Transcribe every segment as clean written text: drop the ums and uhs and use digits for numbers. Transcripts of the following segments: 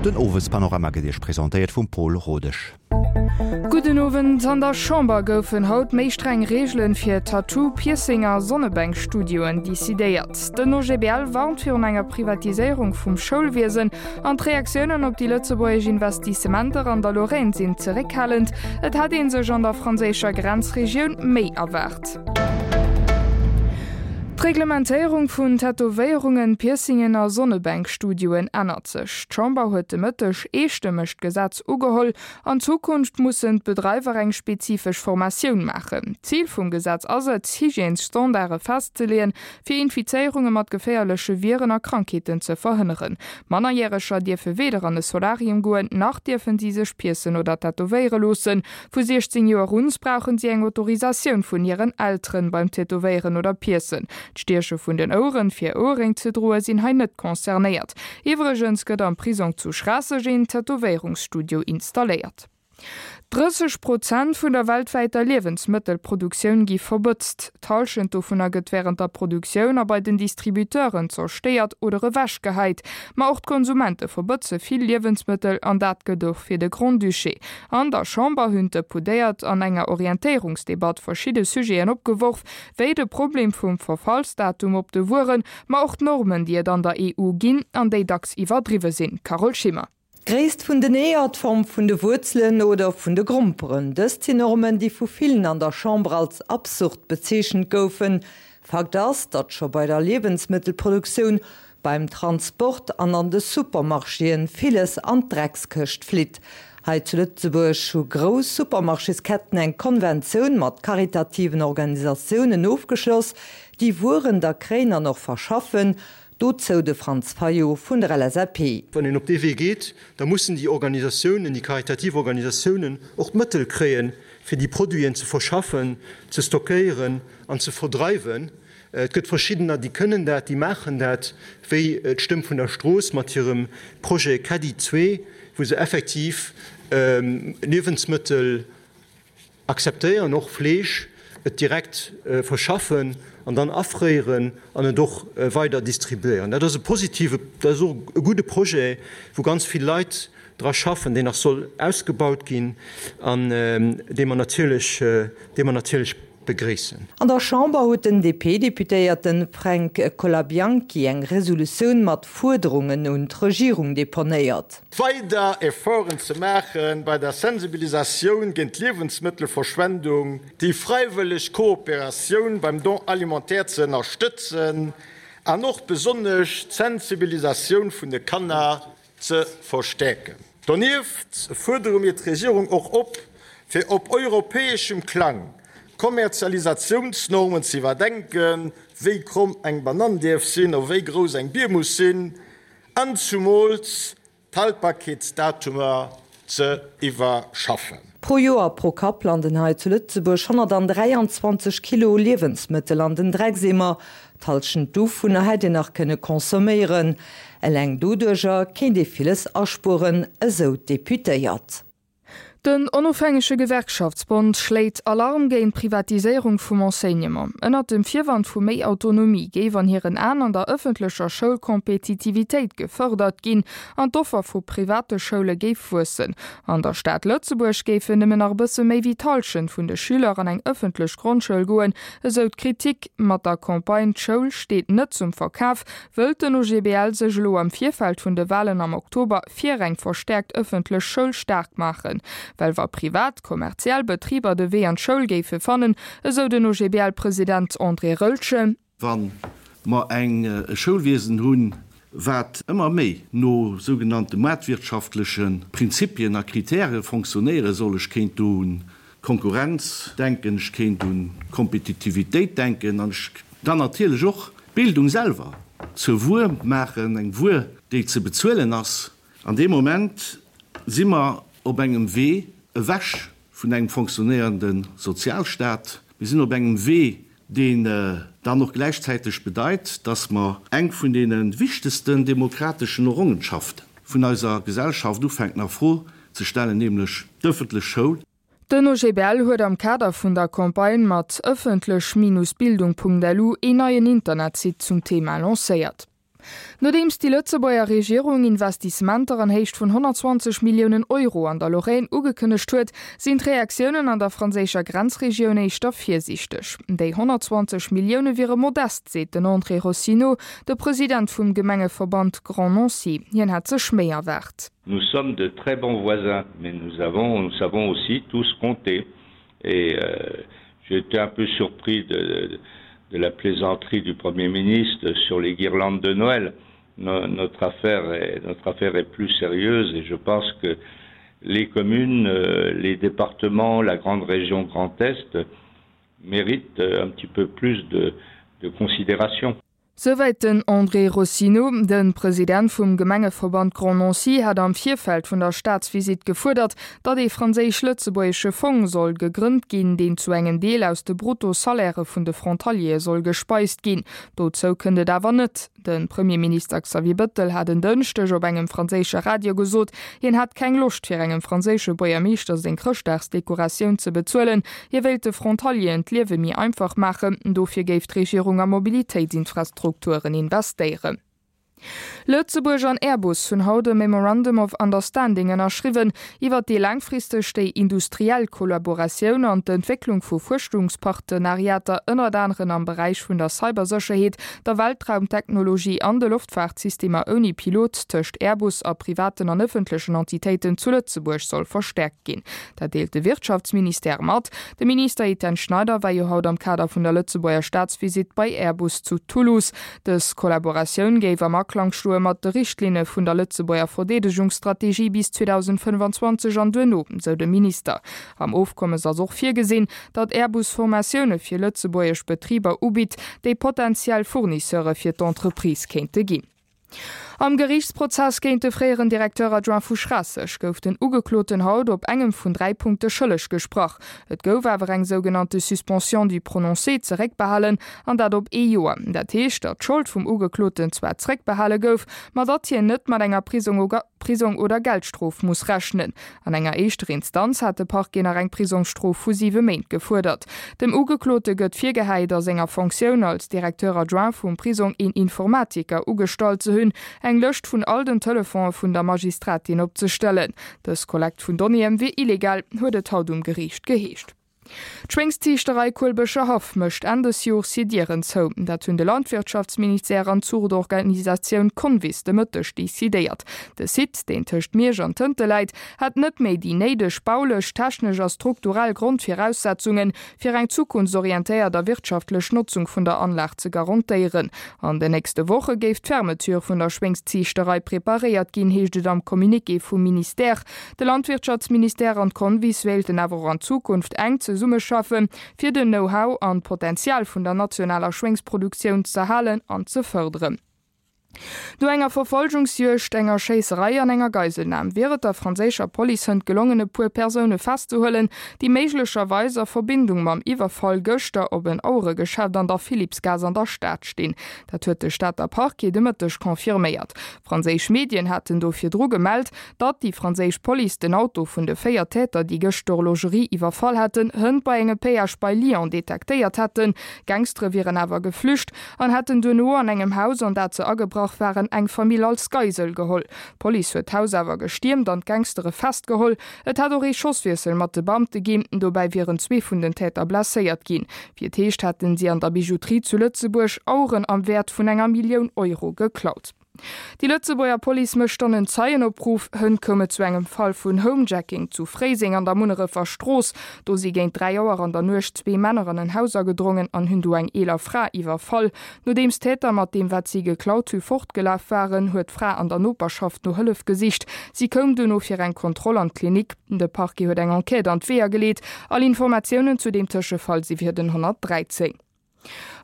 Den Owespanorama gëtt Iech presentéiert vum Pol Rodesch. Gudden Owend. An der Chamber goufen haut méi streng Reegelen fir Tattoo-, Piercing a Sonnebänkstudioen decidéiert. Den OGBL warnt virun enger Privatiséierung vum Schoulwiesen an d'Reaktiounen op déi lëtzebuergesch Investissementer an der Lorraine sinn zeréckhalend. Et hätt ee sech an der franséischer Grenzregioun méi erwaart. D'Reglementéierung vun Tätowéierungen, Piercingen a Sonnebänkstudioen ännert sech. D'Chamber huet de Mëtteg eestëmmeg d'Gesetz ugeholl. An Zukunft mussen d'Bedreiwer eng spezifesch Formatioun maachen. Zil vum Gesetz ass et, Hygiènesstandarde festzeleeën, fir Infizéierunge mat geféierleche Viren a Krankheeten ze verhënneren. Mannerjäreger dierfe weder an e Solarium goen, nach dierfen si sech piercen oder tätowéiere loossen. Vu 16 Joer un brauchen si eng Autorisatioun vun hiren Elteren beim Tätowéieren oder Piercen. D'Stieche vun den Oueren fir Ouerréng ze droe sinn hei net concernéiert. Iwwregens gëtt am Prisong zu Schraasseg een Tätowéierungsstudio installéiert. 30 Prozent vun der weltwäiter Liewensmëttelproduktioun gi verbëtzt. D'Hallschent dovunner gëtt wärend der Produktioun a bei den Distributeuren zerstéiert oder ewechgehäit. Ma och d'Konsumente verbëtze vill Liewensmëttel an dat gëtt och fir de Grand-Duché. An der Chamber hunn d'Depudéiert an enger Orientéierungsdebatt verschidde Sujeten opgeworf, wéi de Problem vum Verfallsdatum op de Wueren, ma och d'Normen, déi et an der EU ginn an déi dacks iwwerdriwwe sinn. Carole Schimmer. D'Gréisst vun den Eeër, d'Form vun de Wuerzelen oder vun de Gromperen, dëst sinn Normen, déi vu villen an der Chamber als absurd bezeechent goufen. Fakt ass, datt scho bei der Liewensmëttelproduktioun Beim Transport an an de Supermarchéen villes an d'Dreckskëscht flitt. Hei zu Lëtzebuerg hu grouss Supermarchésketten eng Konventioun mat karitativen Organisatiounen ofgeschloss, déi Wueren da kréien an och verschaffen. Dozou de Franz Fayot vun der LSAP. Wann een op dee Wee geet, da mussen déi Organisatiounen, déi karitativ Organisatiounen och d'Mëttel kréien, fir déi Produiten ze verschaffen, ze stockéieren an ze verdreiwen. Et gëtt verschiddener, déi kënnen dat, déi maachen dat, wéi d'Stëmm vun der Strooss mat hirem Projet Caddie 2, wou se effektiv Liewensmëttel akzeptéieren, och Fleesch, et direkt verschaffen an dann afréieren an et och weider distribuéieren. Dat ass e positive, dat ass och e gudde Projet, wou ganz vill Leit dra schaffen, deen nach soll ausgebaut ginn an dee mer natierlech, dee mer natierlech begréissen. An der Chamber huet den DP-Deputéierte Fränk Colabianchi eng Resolutioun mat Fuerderungen un d'Regierung deponéiert. Weider Efforten ze maache bei der Sensibilisatioun géint d'Liewensmëttelverschwendung, déi fräiwëlleg Kooperatioun beim Don alimentaire ze ënnerstëtzen an och besonnesch d'Sensibilisatioun vun de Kanner ze verstäerken. Donieft fuerdere mir d'Regierung och op, fir op europäeschem Klang d'Kommerzialisatiounsnormen ze iwwerdenken, wéi kromm eng Banann däerf sinn a wéi grouss eng Bier muss sinn, an zumools d'Haltbarkeetsdatumer ze iwwerschaffen. Pro Joer, pro Kapp landen hei zu Lëtzebuerg 123 Kilo Liewensmëttel an den Dreckseemer. D'Hallschent dovunner hätt een nach kënne consomméieren. Eleng doduercher kéint ee villes aspueren, esou d'Deputéiert. Den onofhängege Gewerkschaftsbond schléit Alarm géint d'Privatiséierung vum Enseignement. Ënnert dem Virwand vu méi Autonomie géif an hiren Aen an der ëffentlecher Schoul Kompetitivitéit gefërdert ginn an d'Offer vu private Schoule géif wuessen. An der Stad Lëtzebuerg géifen nëmmen nach e bësse méi wéi d'Hallschent vun de Schüler an eng ëffentlech Grondschoul goen, esou d'Kritik. Mat der Campagne D'Schoul steet net zum Verkaf wëllt den OGBL sech elo am Virfeld vun de Walen am Oktober fir eng verstäerkt ëffentlech Schoul staark maachen. Well wa privat, kommerziell Betriber de Wee an d'Schoul géife fannen, esou den OGBL-President André Roeltgen, Wa mer eng e Schoulwiesen hunn, wat ëmmer méi no sougenannte maartwirtschaftleche Prinzipien a Kritäre fonctionnéiere soll, ech kéint do un Konkurrenz denken, ech kéint un Kompetitivitéit denken an ech dann natierlech och d'Bildung selwer zur Wuer maachen, eng Wuer, déi ze bezuelen ass. An deem Moment si mer op engem Wee ewech vun engem fonctionnéierende Sozialstaat. Mir sinn op engem Wee, deen dann och gläichzäiteg bedeit, dass mer eng vun deene wichtegsten demokrateschen Errongenschaften vun eiser Gesellschaft ufänken a Fro ze stellen, nämlech d'ëffentlech Schoul. Den OGBL huet am Kader vun der Campagne mat ëffentlech-bildung.lu een neien Internetsite zum Thema lancéiert. Nodeems déi Lëtzebuerger Regierung Investissementer an Héicht vun 120 Milliounen Euro an der Lorraine ugekënnegt huet, sinn d'Reaktiounen an der franséischer Grenzregioun éischter virsiichteg. Déi 120 Millioune wiere modest, seet den André Rossineau, de President vum Gemengeverband Grand Nancy. Hien hätt sech méi erwaart. Nous sommes de très bons voisins, mais nous avons, nous savons aussi tous compter et euh, j'ai été un peu surpris de, de, de la plaisanterie du Premier ministre sur les guirlandes de Noël. No, notre affaire est, notre affaire est plus sérieuse et je pense que les communes, euh, les départements, la grande région Grand Est méritent euh, un petit peu plus de, de considération. Souwäit den André Rossino. De President vum Gemengeverband Grand Nancy hat am Virfeld vun der Staatsvisitt gefuerdert, datt ee franséisch-lëtzebuergesche Fong soll gegrënnt ginn, deen zu engem Deel aus de Brutto-Salairë vun de Frontaliere soll gespeist ginn. Dozou kënnt et awer net. De Premierminister Xavier Bëttel hat en Dënschdeg op engem franséische Radio gesot, hien hätt keng Loscht fir engem franséische Buergermeeschter seng Chrëschtdagsdekoratioun ze bezuelen. Hie wéilt de Frontalieren d'Liewe méi einfach maachen, dofir géif d'Regierung a Mobilitéitsinfrastrukturen investéieren. Lëtzebuerg an Airbus hunn haut e Memorandum of Understanding ënnerschriwwen, iwwer dee laangfristeg déi industriell Kollaboratioun an d'Entwécklung vu Fuerschungspartenariater ënnert aneren am Beräich vun der Cybersécherheet, der Weltraumtechnologie an de Loftfaartsystemer ouni Pilot tëscht Airbus a privaten an ëffentlechen Entitéiten zu Lëtzebuerg soll verstäerkt ginn. Dat deelt de Wirtschaftsministère mat. De Minister Etienne Schneider war jo haut am Kader vun der Lëtzebuerger Staatsvisitt bei Airbus zu Toulouse. Dës Kollaboratioun géif am Aklang stoe mat de Richtlinne vun der Lëtzebuerger Verdeedegungsstrategie bis 2025 an duerno, sou de Minister. Am Ofkommes ass och virgesinn, datt Airbus Formatioune fir lëtzebuergesch Betriber ubitt, déi potentiell Fournisseure fir d'Entreprise kéinte ginn. Am Geriichtsprozess géint de fréieren Directeur adjoint vu Schraasseg gouf den Ugekloten haut op engem vun 3 Punkte schëlleg gesprach. Et gouf awer eng sougenannte Suspension du prononcé zeréckbehalen, an dat op ee Joer. Dat heescht, datt d'Schold vum Ugekloten zwar zeréckbehale gouf, ma datt hien net mat enger Prisong oder Geldstrof muss rechnen. An enger éischter Instanz hat de Parquet nach eng Prisongsstrof vu siwe Méint gefuerdert. Dem Ugeklote gëtt virgehäit, a senger Fonctioun als Directeur adjoint vum Prisong een Informatiker ugestallt ze hunn, eng Lëscht vun all den Telefonë vun der Magistratin opzestellen. Dës Kollekt vun Donnéeë wier illegal, huet et haut um Geriicht geheescht. D'Schwéngsziichterei Kuelbëscher Haff mécht Enn des Jors hir Dieren zou. Dat hunn de Landwirtschaftsministère an d'Zuchtorganisatioun Convis de Mëtteg decidéiert. De Site, deen tëscht Miersch an Tënte läit, hätt net méi déi néideg baulech, technesch a strukturell Grondviraussetzungen, fir eng zukunftsorientéiert a wirtschaftlech Notzung vun der Anlag ze garantéieren. An den nächste Woche géif d'Fermeture vun der Schwéngsziichterei preparéiert ginn, heescht et am Communiqué vum Ministère. De Landwirtschaftsministère an d'Convis wéilten awer och an Zukunft enk zesummeschaffen, fir den Know-how an d'Potenzial vun der nationaler Schwéngsproduktioun z'erhalen an ze fërderen. No enger Verfolgungsjuegd, enger Schéisserei an enger Geiselnam wier et der franséischer Police hënt gelongen, e puer Persoune festzehuelen, déi méiglecherweis a Verbindung mam Iwwerfall gëschter op en Aueregeschäft an der Philippsgaass an der Stad stinn. Dat huet de Stater Parquet de Mëtteg confirméiert. Franséisch Medien haten do virdru gemellt, Datt déi franséisch Police den Auto vun de 4 Täter, déi gëscht d'Horlogerie iwwerfall hätten, hënt bei engem Péage bei Lyon detektéiert hätten. D'Gangstere wieren awer geflücht an hätten duerno an engem Haus, an dat se agebrach waren, eng Famill als Geisel geholl. D'Police huet d'Haus awer gestiermt an d'Gangstere festgeholl. Et hätt och ee Schosswiessel mat de Beamte ginn, dobäi wieren zwee vun den Täter blesséiert ginn. Wéi et heescht, hätten si an der Bijouterie zu Lëtzebuerg Aueren am Wäert vun enger Millioun Euro geklaut. Déi Lëtzebuerger Police mécht dann en Zeienopruff. Hënt koum et zu engem Fall vun Homejacking zu Fréiseng an der Munnerefer Strooss. Do si géint 3 Auer an der Nuecht zwee Männer an en Haus agedrongen an hunn do eng eeler Fra iwwerfall. Nodeems d'Täter mat deem wat si geklaut hu fortgelaf waren, huet d'Fra an der Noperschaft no Hëllef gesicht. Si koum duerno fir eng Kontroll an d'Klinik. De Parquet huet eng Enquête an d'Weeër geleet. All Informatiounen zu deem Tëschefall si fir den 113.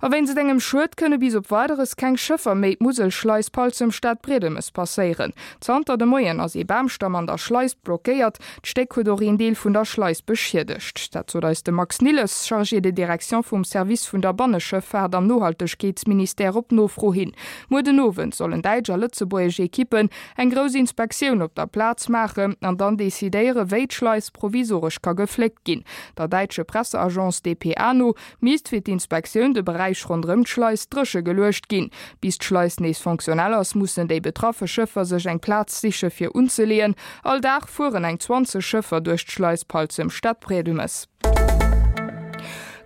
A wéinst engem Schued kënne bis op Weideres keng Schëffer méi d'Muselschleis Palzem Stadbriedemes passéieren. Zanter de Moien ass ee Bamstamm an der Schleis blockéiert. D'Stéck huet och een Deel vun der Schleis beschiedegt. Dat sot eis de Max Nilles, Chargé de direction vum Service vun der Banneschëffaart am Nohaltegkeetsministère op Nofro hin. Muer den Owend sollen däitsch a lëtzebuergesch Ekippen eng grouss Inspektioun op der Plaz maachen an dann decidéiere wéi d'Schleis provisoresch ka gefléckt ginn. Der däitsche Presseagence dpa no Misst fir d'Inspektioun. de Beräich ronderëm d'Schleis dréche geluecht ginn. Bis d'Schleis nees fonctionnel ass, mussen déi betraffe Schëffer sech eng Plaz siche fir unzeleeën. All Dag fueren eng 20 Schëffer duerch d'Schleis Palzem-Stadbriedemes.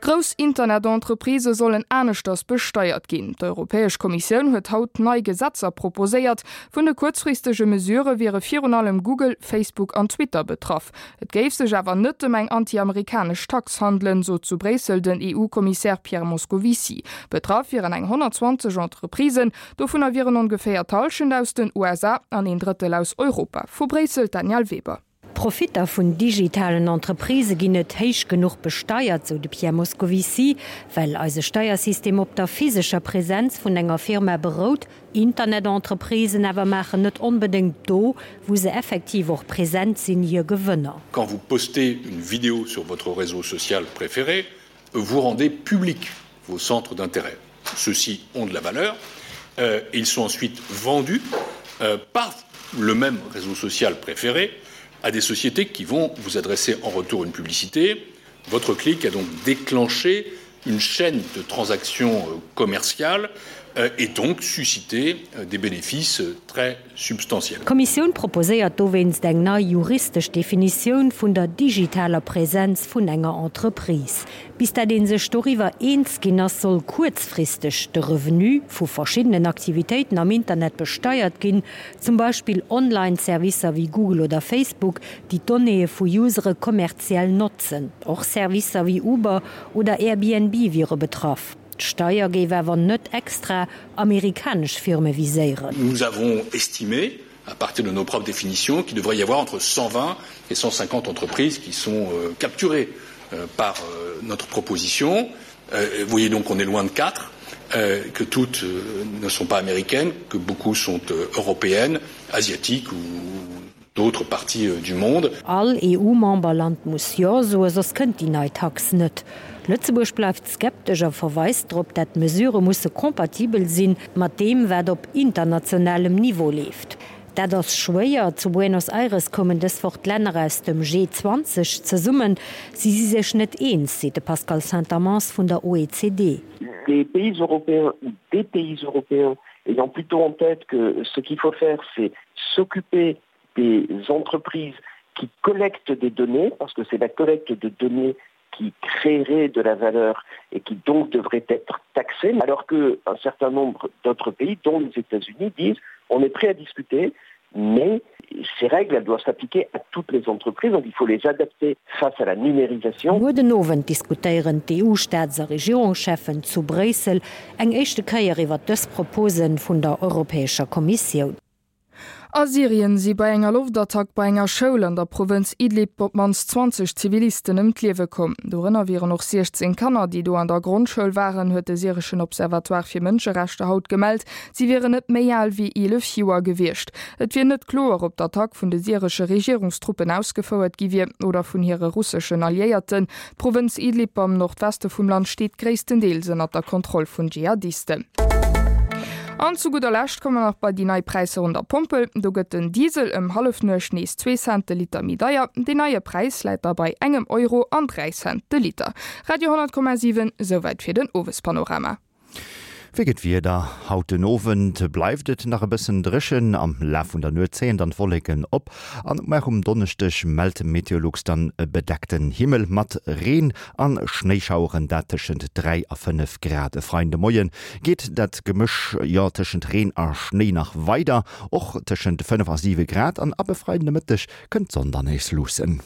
Grouss Internet-Entreprisë sollen aneschters besteiert ginn. D'Europäesch Kommissioun huet haut nei Gesetzer proposéiert. Vun de kuerzfristege Mesurë wiere virun allem Google, Facebook an Twitter betraff. Et géif sech awer net ëm eng anti-amerikanesch Tax handelen, sot zu Bréissel den EU-Kommissär Pierre Moscovici. Betraff wieren eng 120 Entreprisen, dovunner wieren ongeféier d'Hallschent aus den USA an een Drëttel aus Europa. Vu Bréissel d'Danièle Weber. D'Profitter vun digitalen Entreprisë ginn net héich genuch besteiert, sou de Pierre Moscovici, well eise Steiersystem op der physescher Presenz vun enger Firma berout. Internet-Entreprisen awer maachen net onbedéngt do, wou se effektiv och present sinn, hir Gewënner. Quand vous postez une vidéo sur votre réseau social préféré, vous rendez public vos centres d'intérêt. Ceux-ci ont de la valeur euh, et ils sont ensuite vendus euh, par le même réseau social préféré à des sociétés qui vont vous adresser en retour une publicité. Votre clic a donc déclenché une chaîne de transactions euh, commerciales euh, et donc suscité euh, des bénéfices très substantiels. D'Kommissioun proposéiert dowéinst eng nei juristesch Definitioun vun der digitaler Präsenz vun enger Entreprise. Bis dat ee sech doriwwer eens ginn ass, soll kuerzfristeg de Revenu vu verschiddenen Aktivitéiten am Internet besteiert ginn, zum Beispill Online-Servicer wéi Google oder Facebook, déi d'Donnéeë vu Usere kommerziell notzen. Och Servicer wéi Uber oder Airbnb wiere betraff. D'Steier géif awer net extra amerikanesch Firme viséieren. Nous avons estimé, à partir de nos propres définitions, qu'il devrait y avoir entre 120 et 150 entreprises qui sont euh, capturées euh, par euh, notre proposition. Vous voyez donc qu'on est loin de 4, que toutes ne sont pas américaines, que beaucoup sont européennes, asiatiques ou d'autres parties du monde. All EU-Memberland muss Jo soen, soss kënnt déi nei Tax net. Lëtzebuerg bleift skeptesch a verweist drop, dat d'Mesurë musse kompatibel sinn mat deem, wat op internationalem Niveau leeft. Dat ass schwéier. Zu Buenos Aires koumen dës Woch d'Länner aus dem G20 zesummen. Si si sech net eens, seet de Pascal Saint-Amans vun der OECD. Les pays européens ou des pays européens ayant plutôt en tête que ce qu'il faut faire, c'est s'occuper des entreprises qui collectent des données, parce que c'est la collecte de données qui créerait de la valeur et qui donc devrait être taxée, alors qu'un certain nombre d'autres pays, dont les États-Unis, disent on est prêt à discuter, mais ces règles elles doivent s'appliquer à toutes les entreprises, donc il faut les adapter face à la numérisation. Muer den Owend diskutéieren d'EU-Staats a Regierungscheffen zu Bréissel eng éischte Kéier iwwer dës Propose vun der Europäescher Kommissioun. A Syrien si bei enger Loftattack bei enger Schoul an der Provënz Idlib op d'mannst 20 Zivilisten ëm d'Liewe komm. Dorënner wieren och 16 Kanner, déi do an der Grondschoul waren, huet de syreschen Observatoire fir Mënscherechter haut gemellt. Si wieren net méi al wéi 11 Joer gewiescht. Et wier net kloer, ob d'Attack vun de syresche Regierungstruppen ausgefouert gi wier oder vun hire russeschen Alliéierten. D'Provënz Idlib am Nordweste vum Land steet gréisstendeels ënnert der Kontroll vun Dschihadisten. An zu gudder Lescht komme mer nach bei déi nei Präisser un der Pompel. Do gëtt den Diesel ëm Hallefnuecht nees zwee Cent de Liter méi deier. Deen neie Präis läit da bei engem Euro an 3 Cent de Liter. Radio 10,7, Souwäit fir den Owespanorama. Wéi gëtt d'Wieder? Haut den Owend bleift et nach e bëssen dréchen, am Laf vun der Nuet zéien dann d'Wolleken op an och um Donneschdeg mellt Meteolux dann e bedeckten Himmel mat Reen an Schnéischaueren, dat tëschent 3 a 5 Grad. E Freiden de Moie geet dat Gemësch, jo, tëschent Reen a Schnéi nach weider, och tëschent 5 a 7 Grad an ab e Freiden de Mëtteg kënnt d'Sonn dann nees luussen.